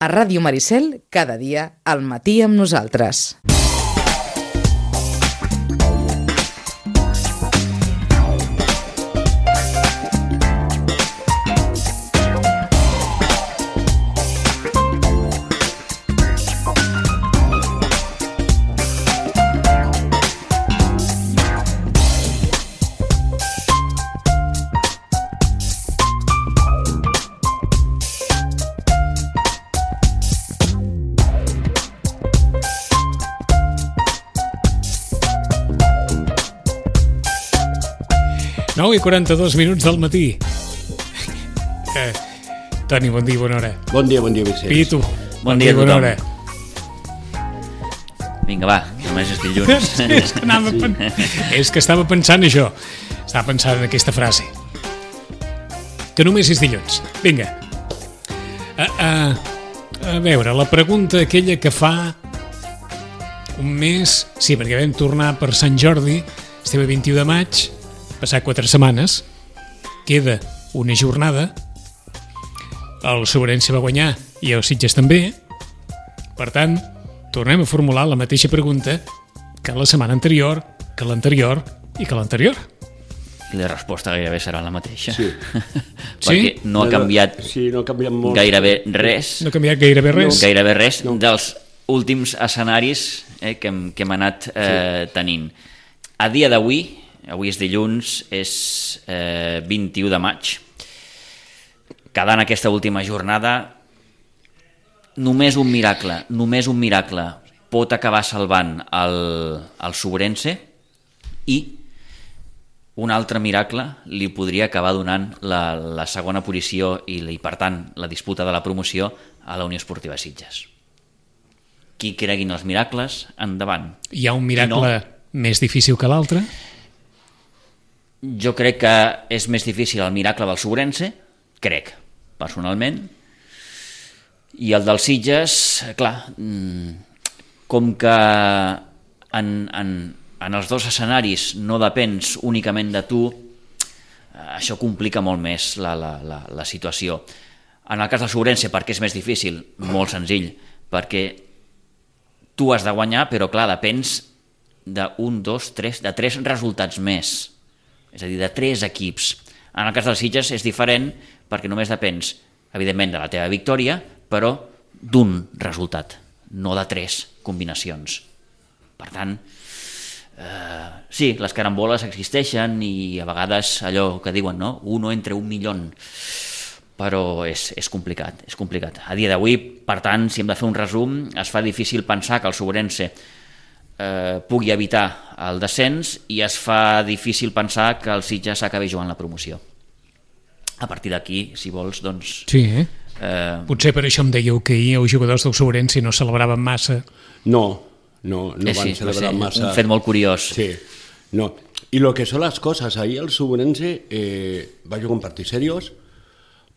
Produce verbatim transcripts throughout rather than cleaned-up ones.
A Ràdio Maricel, cada dia al matí amb nosaltres. nou i quaranta-dos minuts del matí. Eh, Toni, bon dia, bona hora. Bon dia, bon dia, Vicenç. Pitu, bon, bon dia, dia, bona hora. Vinga, va, només és dilluns. Sí, és, que anava, és que estava pensant això. Estava pensant en aquesta frase. Que només és dilluns. Vinga. A, a, a veure, la pregunta aquella que fa un mes... Sí, perquè vam tornar per Sant Jordi, estem a vint-i-u de maig, passar quatre setmanes, queda una jornada, el Sobrense va guanyar i el Sitges també, per tant, tornem a formular la mateixa pregunta que la setmana anterior, que l'anterior i que l'anterior. I la resposta gairebé serà la mateixa. Sí. Perquè no ha canviat, sí, no ha canviat molt. gairebé res. No ha canviat gairebé res. No. Gairebé res No. dels últims escenaris eh, que, hem, que hem anat eh, sí. tenint. A dia d'avui, avui és dilluns, és eh, vint-i-u de maig, quedant aquesta última jornada, només un miracle, només un miracle pot acabar salvant el, el Sobrense, i un altre miracle li podria acabar donant la, la segona posició i, i, per tant, la disputa de la promoció a la Unió Esportiva Sitges. Qui creguin els miracles, endavant. Hi ha un miracle no. més difícil que l'altre? Jo crec que és més difícil el miracle del Sobrense, crec, personalment, i el dels Sitges, clar, com que en, en, en els dos escenaris no depens únicament de tu, això complica molt més la, la, la, la situació. En el cas del Sobrense, perquè és més difícil? Molt senzill, perquè tu has de guanyar, però clar, depens d'un, dos, tres, de tres resultats més. És a dir, de tres equips. En el cas dels Sitges és diferent perquè només depens, evidentment, de la teva victòria, però d'un resultat, no de tres combinacions. Per tant, eh, sí, les caramboles existeixen i a vegades allò que diuen, no? Uno entre un milió, però és, és complicat, és complicat. A dia d'avui, per tant, si hem de fer un resum, es fa difícil pensar que el Sobrense Eh, pugui evitar el descens i es fa difícil pensar que el Sitges acabi jugant la promoció. A partir d'aquí, si vols, doncs... Sí, eh? Eh... Potser per això em dèieu que ahir els jugadors del Sobrense no celebraven massa. No, no, no eh, van sí, celebrar massa. Un fet molt curiós. Sí, no. I lo que són les coses, ahir el Sobrense eh, va jugar un partit seriós,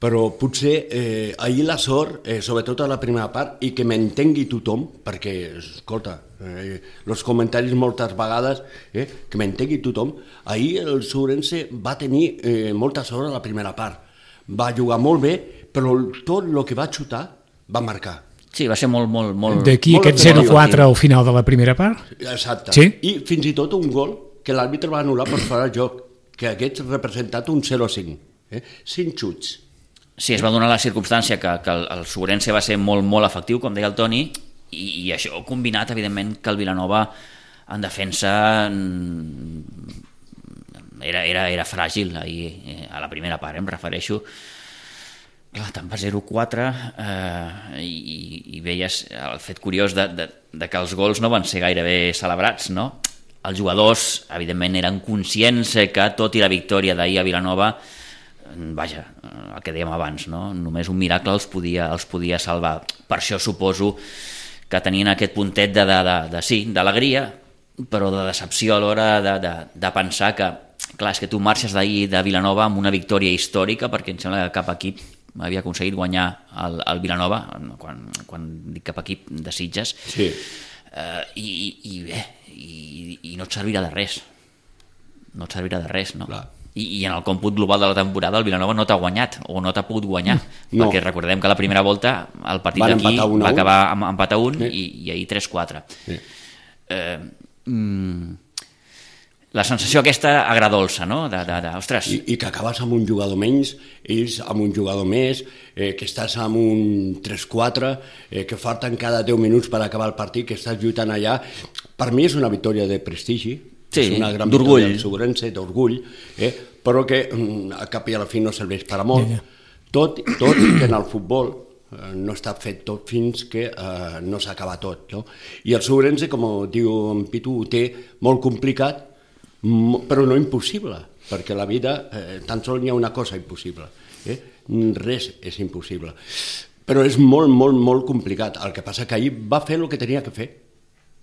però potser eh, ahir la sort, eh, sobretot a la primera part, i que m'entengui tothom, perquè, escolta, eh, els comentaris moltes vegades, eh, que m'entengui tothom, ahir el Sobrense va tenir eh, molta sort a la primera part. Va jugar molt bé, però tot el que va xutar va marcar. Sí, va ser molt, molt, molt... D'aquí molt aquest zero quatre al final de la primera part? Exacte. Sí? I fins i tot un gol que l'àrbitre va anul·lar per fora de joc, que hagués representat un zero cinc. Eh? Cinc xuts. Sí, es va donar la circumstància que, que el, el Sobrense va ser molt, molt efectiu, com deia el Toni, i, i això combinat, evidentment, que el Vilanova en defensa era, era, era fràgil ahir, eh, a la primera part, eh, em refereixo. Clar, te'n va zero quatre eh, i, i veies el fet curiós de, de, de que els gols no van ser gairebé celebrats, no? Els jugadors, evidentment, eren conscients que tot i la victòria d'ahir a Vilanova, vaja, el que dèiem abans, no? Només un miracle els podia, els podia salvar. Per això suposo que tenien aquest puntet de, de, de, de sí, d'alegria, però de decepció a l'hora de, de, de pensar que, clar, és que tu marxes d'ahir de Vilanova amb una victòria històrica, perquè em sembla que cap equip havia aconseguit guanyar el, el Vilanova, quan, quan dic cap equip de Sitges, sí. eh, i, i bé, i, i no et servirà de res. No et servirà de res, no? Clar. I, i en el còmput global de la temporada el Vilanova no t'ha guanyat o no t'ha pogut guanyar, no. Perquè recordem que la primera volta el partit d'aquí va acabar amb empat a un sí. i, i ahir tres quatre. Sí. Eh, mm, la sensació aquesta agradolça, no? De, de, de, ostres. I, I que acabes amb un jugador menys, ells amb un jugador més, eh, que estàs amb un tres quatre, eh, que falten cada deu minuts per acabar el partit, que estàs lluitant allà. Per mi és una victòria de prestigi, sí, és una gran victòria del Segurense, d'orgull, eh, però que a cap i a la fi no serveix per a molt. Yeah, yeah. Tot, tot que en el futbol eh, no està fet tot fins que eh, no s'acaba tot. No? I el Segurense, com diu en Pitu, ho té molt complicat, però no impossible, perquè la vida eh, tan sols hi ha una cosa impossible, eh? Res és impossible, però és molt, molt, molt complicat. El que passa que ahir va fer el que tenia que fer,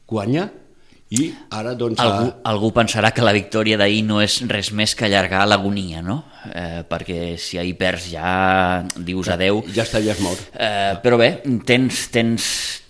guanyar, i ara doncs... Algú, a... algú pensarà que la victòria d'ahir no és res més que allargar l'agonia, no? Eh, perquè si ahir perds ja dius adeu... Ja estaries mort. Eh, però bé, tens, tens,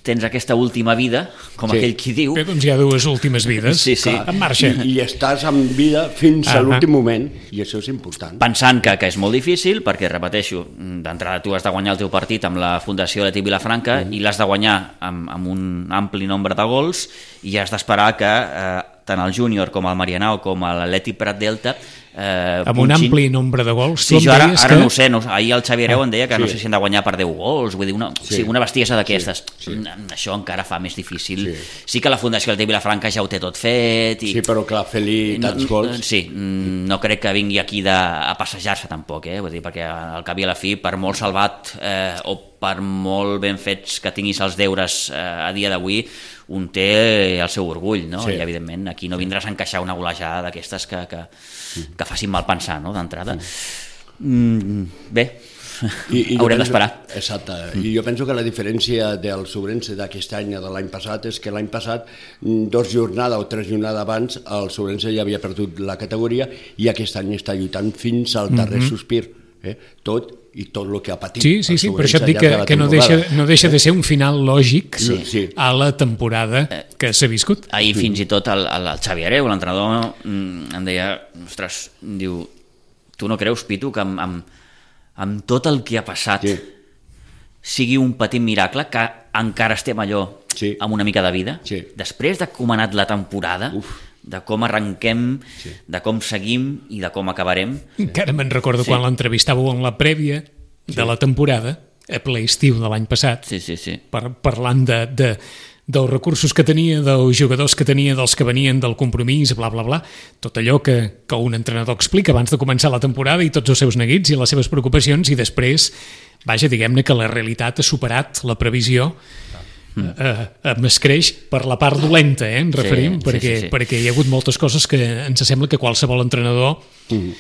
tens aquesta última vida, com sí. aquell qui diu... Bé, doncs hi ha dues últimes vides, sí, sí. en marxa. I, I estàs en vida fins ah, a l'últim moment, i això és important. Pensant que, que és molt difícil, perquè, repeteixo, d'entrada tu has de guanyar el teu partit amb la Fundació Leti Vilafranca mm. i l'has de guanyar amb, amb un ampli nombre de gols i has d'esperar que eh, tant el Júnior com el Marianao com l'Atleti Prat Delta eh, amb un ampli nombre de gols. Sí, jo ara, ara que... no ho sé, no, ahir el Xavi Hereu ah, em deia que sí. no sé si han de guanyar per deu gols, vull dir, una, sí. Sí, una bestiesa d'aquestes. Sí, sí. Això encara fa més difícil. Sí, sí que la Fundació Leti Vilafranca ja ho té tot fet. I... Sí, però clar, fer-li tants gols... Sí, no crec que vingui aquí de, a passejar-se tampoc, eh? Vull dir, perquè al cap i a la fi, per molt salvat eh, o per molt ben fets que tinguis els deures eh, a dia d'avui, un té el seu orgull, no? Sí. I evidentment aquí no vindràs a encaixar una golejada d'aquestes que, que, que facin mal pensar, no?, d'entrada. Mm, bé, I, i haurem d'esperar. Exacte, mm. i jo penso que la diferència del Segurense d'aquest any de l'any passat és que l'any passat, dos jornades o tres jornades abans, el Segurense ja havia perdut la categoria i aquest any està lluitant fins al darrer mm-hmm. sospir. Eh? Tot i tot el que ha patit. Sí, sí, sí, per això et dic que, que no, deixa, no deixa de ser un final lògic sí, sí. a la temporada que s'ha viscut. Ahir fins i tot el, el Xavi Hereu, l'entrenador, em deia, ostres, diu, tu no creus, Pitu, que amb, amb, amb tot el que ha passat sí. sigui un petit miracle que encara estem allò sí. amb una mica de vida? Sí. Després de com ha anat la temporada... Uf. De com arrenquem, sí. de com seguim i de com acabarem. Encara me'n recordo sí. quan l'entrevistàveu en la prèvia sí. de la temporada, a ple estiu de l'any passat, sí, sí, sí. Per, parlant de, de, dels recursos que tenia, dels jugadors que tenia, dels que venien del compromís, bla, bla, bla, tot allò que, que un entrenador explica abans de començar la temporada i tots els seus neguits i les seves preocupacions, i després, vaja, diguem-ne que la realitat ha superat la previsió. Mm. Uh, es creix per la part dolenta, eh, ens referim, sí, perquè, sí, sí, sí. perquè hi ha hagut moltes coses que ens sembla que qualsevol entrenador mm.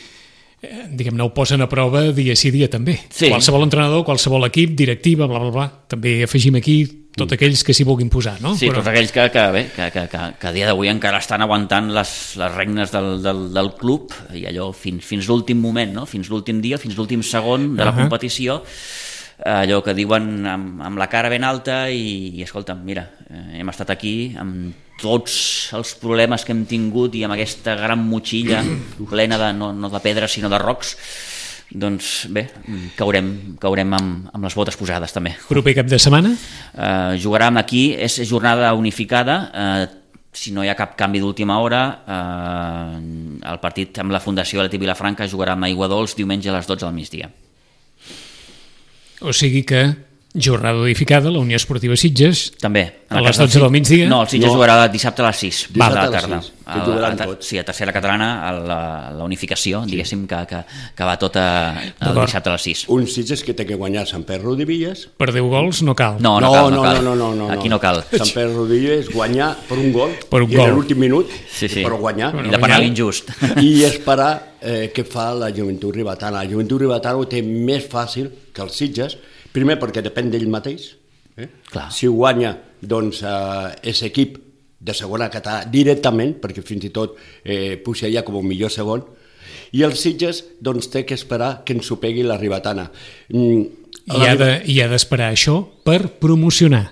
eh, diguem-ne ho posen a prova dia sí dia també. Sí. Qualsevol entrenador, qualsevol equip, directiva, bla, bla, bla. També afegim aquí tots mm. aquells que s'hi vulguin posar, no? Sí, Però... tots aquells que, que, bé, que, que, que, que a dia d'avui encara estan aguantant les, les regnes del, del, del club i allò fins, fins l'últim moment, no? Fins l'últim dia, fins l'últim segon de la uh-huh. competició, allò que diuen amb, amb la cara ben alta i, i escolta'm, mira, eh, hem estat aquí amb tots els problemes que hem tingut i amb aquesta gran motxilla plena de, no, no de pedres sinó de rocs, doncs bé, caurem, caurem amb, amb les botes posades també. Proper cap de setmana? Eh, jugarem aquí, és jornada unificada, eh, si no hi ha cap canvi d'última hora, eh, el partit amb la Fundació Leti Vilafranca jugarà amb Aiguadols diumenge a les dotze del migdia. O sigui que jornada unificada, la Unió Esportiva Sitges, també, a les dotze del migdia. No, el Sitges no. jugarà dissabte a les sis. Va, de la tarda. A la, a, sí, a Tercera Catalana, a la, la unificació, sí. diguéssim, que, que, que va tot a, el dissabte a les sis. Un Sitges que té que guanyar Sant Pere Rodilles. Per deu gols no cal. No, no, no, cal, no, no, cal. no, no, no, no. Aquí no cal. Sant Pere Rodilles guanyar per un gol, per un i gol. en l'últim minut, sí, sí. per guanyar. I de penal injust. I esperar eh, què fa la Joventut Ribetana. La Joventut Ribetana ho té més fàcil que els Sitges, primer perquè depèn d'ell mateix. Eh? Si guanya, doncs, eh, és equip de segona català directament, perquè fins i tot eh, puja ja com un millor segon, i els Sitges doncs, té que esperar que ens ho pegui la Ribetana. Mm, I ha de, i ha d'esperar això per promocionar.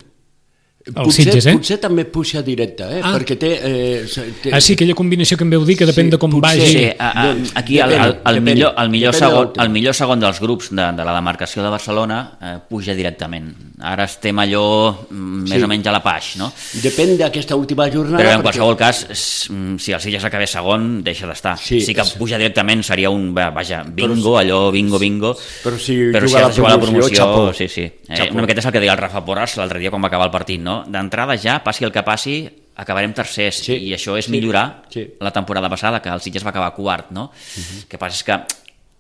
Els Sitges, eh? Potser també puja directe, eh? Ah. Perquè té, eh, té... Ah, sí, aquella combinació que em veu dir, que depèn Sí, de com potser vagi. Sí, a, a, aquí el, el, el, Depèn, millor, el, millor depèn segon, del el millor segon dels grups de, de la demarcació de Barcelona eh, puja directament. Ara estem allò mm, més Sí. o menys a la paix, no? Depèn d'aquesta última jornada... Però en perquè- qualsevol cas, s- mm, si el Sitges acabés segon, deixa d'estar. Sí, Sí que és- puja directament seria un, vaja, bingo, allò, bingo, bingo. Però si però juga si has de la jugar la promoció, promoció, xapó. sí, sí. Eh, Xapó. una miqueta és el que deia el Rafa Porras l'altre dia quan va acabar el partit, no? D'entrada ja, passi el que passi, acabarem tercers, Sí, i això és sí, millorar sí. la temporada passada, que el Sitges va acabar quart, no? Uh-huh. El que passa és que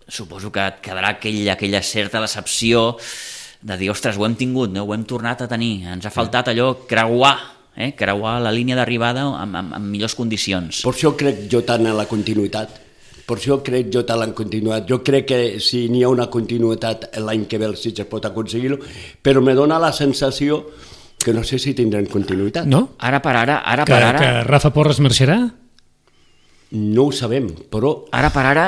suposo que et quedarà aquell, aquella certa decepció de dir, ostres, ho hem tingut, no? Ho hem tornat a tenir, ens ha faltat allò creuar, eh? creuar la línia d'arribada amb, amb, amb millors condicions. Per això crec jo tant en la continuïtat. Per això crec jo tant en la continuïtat. Jo crec que si n'hi ha una continuïtat l'any que ve el Sitges pot aconseguir-ho, però me dona la sensació que no sé si tindran continuïtat. No? Ara per ara, ara Que, per ara... que Rafa Porras marxarà? No ho sabem, però... Ara per ara,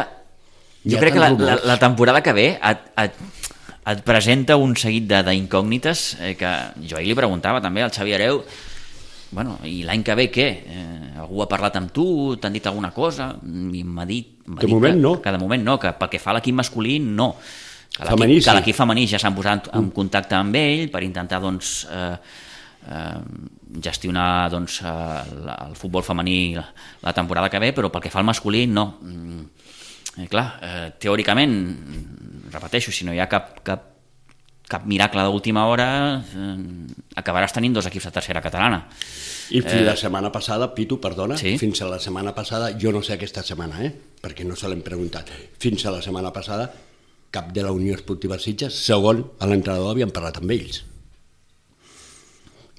Hi jo ha crec que la, tants la, rumors. la temporada que ve et, et, et presenta un seguit de- d'incògnites eh, que jo ahir li preguntava també al Xavi Hereu, bueno, i l'any que ve què? Eh, algú ha parlat amb tu, t'han dit alguna cosa? I m'ha dit, m'ha De dit moment que, no. que de moment no, que pel que fa a l'equip masculí no. Que l'equip- Femení, que sí. l'equip femení ja s'han posat en contacte amb ell per intentar doncs, eh, eh, gestionar doncs, eh, la- el futbol femení la, la temporada que ve, però pel que fa al masculí no. Mm, eh, clar, eh, teòricament, repeteixo, si no hi ha cap, cap, cap miracle d'última hora, eh, acabaràs tenint dos equips de tercera catalana. I fins la setmana passada, Pitu, perdona, Sí. fins a la setmana passada, jo no sé aquesta setmana, eh? perquè no se l'hem preguntat, fins a la setmana passada cap de la Unió Esportiva Sitges, segon a l'entrenador, havien parlat amb ells.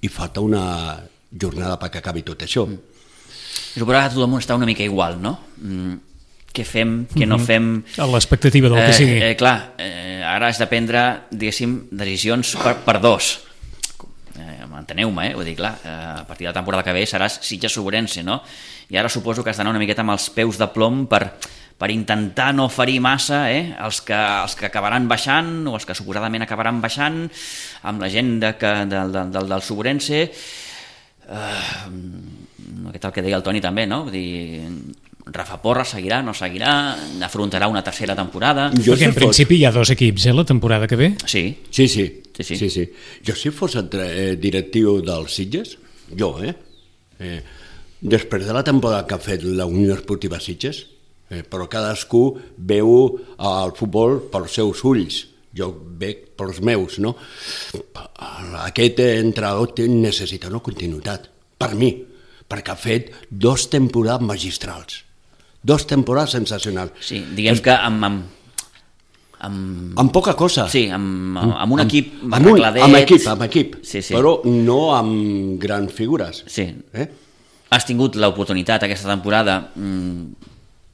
I falta una jornada perquè acabi tot això. Suposo que tot el món està una mica igual, no? Mm, què fem, què no fem... A l'expectativa del que sigui. Eh, eh, clar, eh, ara has de prendre, diguéssim, decisions per, per dos. Eh, Enteneu-me, eh? Vull dir, clar, eh, a partir de la temporada que ve seràs Sitges-Ourense, no? I ara suposo que has d'anar una miqueta amb els peus de plom per, per intentar no ferir massa eh? els, que, els que acabaran baixant o els que suposadament acabaran baixant amb la gent de, que, del, del, del, del Ourense. Uh, aquest el que deia el Toni també, no? Vull dir, Rafa Porras seguirà, no seguirà, afrontarà una tercera temporada. Jo Perquè en si fos- principi hi ha dos equips, eh, la temporada que ve. Sí, Sí, sí. Sí, sí. sí, sí. Jo si fos entre, eh, directiu dels Sitges, jo, eh? eh? Després de la temporada que ha fet la Unió Esportiva Sitges, eh, però cadascú veu el futbol pels seus ulls, jo veig pels meus, no? Aquest entrenador té- necessita una continuïtat, per mi, perquè ha fet dos temporades magistrals, dos temporades sensacionals. sí, diguem que amb... amb, amb Amb poca cosa. sí, amb, amb un equip amb, un, arregladet. amb equip, amb equip, Sí, sí. però no amb grans figures. Sí. Eh? Has tingut l'oportunitat aquesta temporada mmm,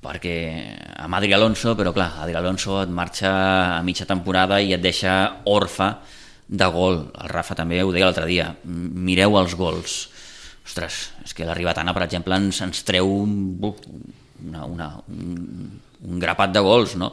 perquè amb Adri Alonso, però clar, Adri Alonso et marxa a mitja temporada i et deixa orfe de gol. El Rafa també ho deia l'altre dia, mireu els gols. Ostres, és que la Ribetana, per exemple, ens, ens treu una, una, un, un grapat de gols, no?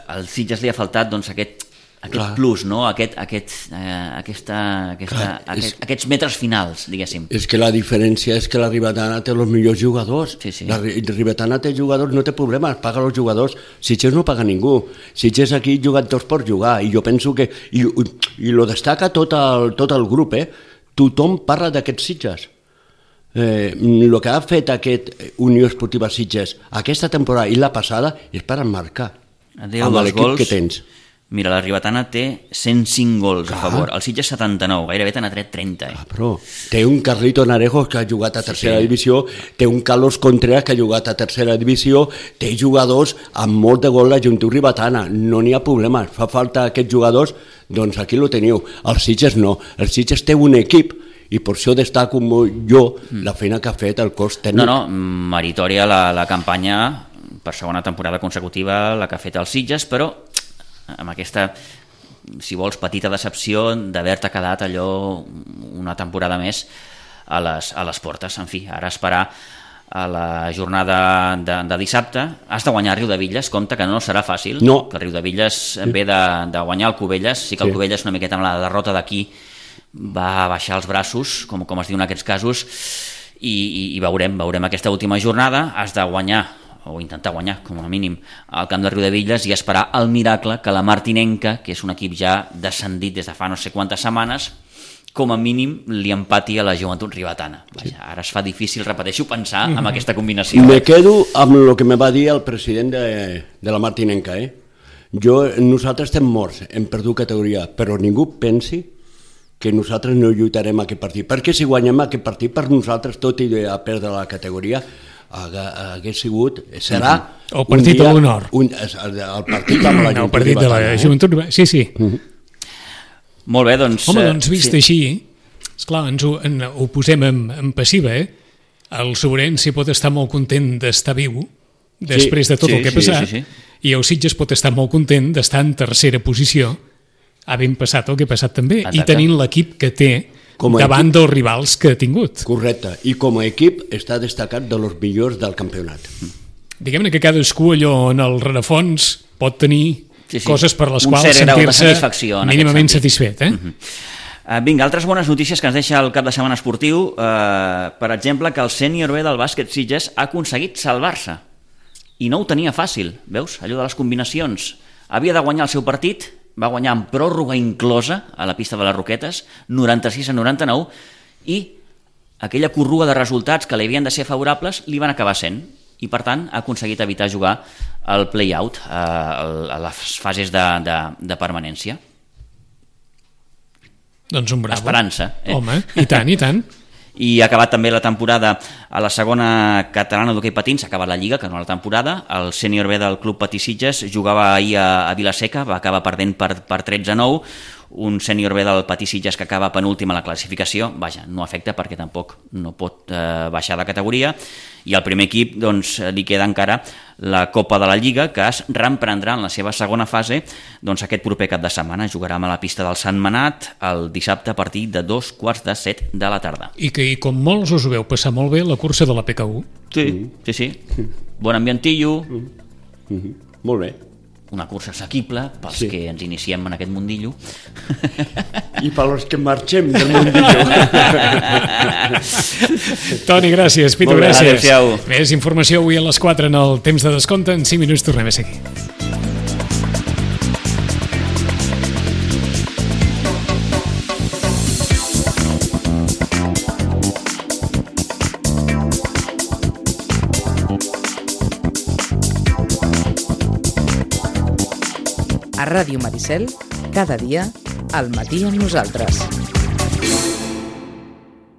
Al Sitges li ha faltat doncs, aquest, aquest Clar. plus, no? aquest, aquest, eh, aquesta, aquesta, Clar, aquest, és- aquests metres finals, diguéssim. És que la diferència és que la Ribetana té els millors jugadors. Sí, sí. La Ri- Ribetana té jugadors, no té problemes, paga els jugadors. Sitges no paga ningú. Sitges aquí juguen tots per jugar. I jo penso que... I, i lo destaca tot el, tot el grup, eh? Tothom parla d'aquests Sitges. Eh, el que ha fet aquest Unió Esportiva Sitges aquesta temporada i la passada és per emmarcar Adéu amb dels l'equip gols. que tens. Mira, la Ribetana té cent cinc gols a favor, el Sitges setanta-nou, gairebé te n'ha tret trenta. Eh? Ah, però té un Carlito Narejos que ha jugat a tercera sí. divisió, té un Carlos Contreras que ha jugat a tercera divisió, té jugadors amb molt de gol la Juntiu Ribetana, no n'hi ha problema, fa falta aquests jugadors, doncs aquí lo teniu. El Sitges no, el Sitges té un equip i per això destaco jo la feina que ha fet el cos tècnic. No, no, meritòria la, la campanya per segona temporada consecutiva, la que ha fet el Sitges, però amb aquesta, si vols, petita decepció d'haver-te quedat allò una temporada més a les, a les portes. En fi, ara esperar a la jornada de, de dissabte. Has de guanyar Riudevilles, compte que no serà fàcil, No. que Riudevilles sí. ve de, de guanyar el Cubelles, sí que el Sí. Cubelles una miqueta amb la derrota d'aquí va baixar els braços, com, com es diu en aquests casos, i, i, i veurem, veurem aquesta última jornada. Has de guanyar, o intentar guanyar, com a mínim, al camp de Riudebitlles i esperar el miracle que la Martinenca, que és un equip ja descendit des de fa no sé quantes setmanes, com a mínim li empati a la Joventut Ribetana. Vaja, sí. Ara es fa difícil, repeteixo, pensar mm-hmm. en aquesta combinació. Me quedo amb el que me va dir el president de, de la Martinenca. Eh? Jo, nosaltres estem morts, hem perdut categoria, però ningú pensi que nosaltres no lluitarem aquest partit, perquè si guanyem aquest partit per nosaltres, tot i a perdre la categoria, hagués sigut, serà el partit de l'honor, el partit amb la el partit de la Joventut, sí, sí. Uh-huh. Molt bé, doncs... Home, doncs vist sí. així, esclar, ens ho, en, ho posem en, en passiva, eh? El Sobrense pot estar molt content d'estar viu després sí, de tot sí, el que ha passat, sí, sí, sí. I el Sitges pot estar molt content d'estar en tercera posició, havent passat el que ha passat també, exacte. I tenint l'equip que té davant equip, dels rivals que ha tingut. Correcte, i com a equip està destacat de los millors del campionat. Diguem-ne que cadascú allò en el rerefons pot tenir sí, sí. coses per les un quals sentir-se mínimament satisfet. Eh? Uh-huh. uh, vinga, altres bones notícies que ens deixa el cap de setmana esportiu, uh, per exemple, que el sènior B del bàsquet Sitges ha aconseguit salvar-se, i no ho tenia fàcil, veus? Allò de les combinacions. Havia de guanyar el seu partit, va guanyar amb pròrroga inclosa a la pista de les Roquetes, noranta-sis a noranta-nou, i aquella corrua de resultats que li havien de ser favorables li van acabar sent, i per tant ha aconseguit evitar jugar el play-out a les fases de, de, de permanència. Doncs un bravo. Esperança. Eh? Home, i tant, i tant. I ha acabat també la temporada a la segona catalana d'hoquei patins, s'ha acabat la Lliga, que no la temporada. El sènior B del Club Patí Sitges jugava ahir a, a Vilaseca, va acabar perdent per, per tretze a nou, un sènior B del Patí Sitges que acaba penúltim a la classificació, vaja, no afecta perquè tampoc no pot eh, baixar de categoria, i al primer equip doncs, li queda encara la Copa de la Lliga, que es reemprendrà en la seva segona fase doncs, aquest proper cap de setmana. Jugarà a la pista del Sant Manat el dissabte a partir de dos quarts de set de la tarda. I que i com molts us ho veu passar molt bé la cursa de la P K U. Sí, mm. sí, sí. Bon ambientillo. Mm. Mm-hmm. Molt bé. Una cursa assequible pels sí. que ens iniciem en aquest mundillo. I pels que marxem del mundillo. Toni, gràcies. Pitu, bé, gràcies. Adéu-siau. Més informació avui a les quatre en el temps de descompte. En cinc minuts tornem a seguir. A Ràdio Maricel, cada dia, al matí amb nosaltres.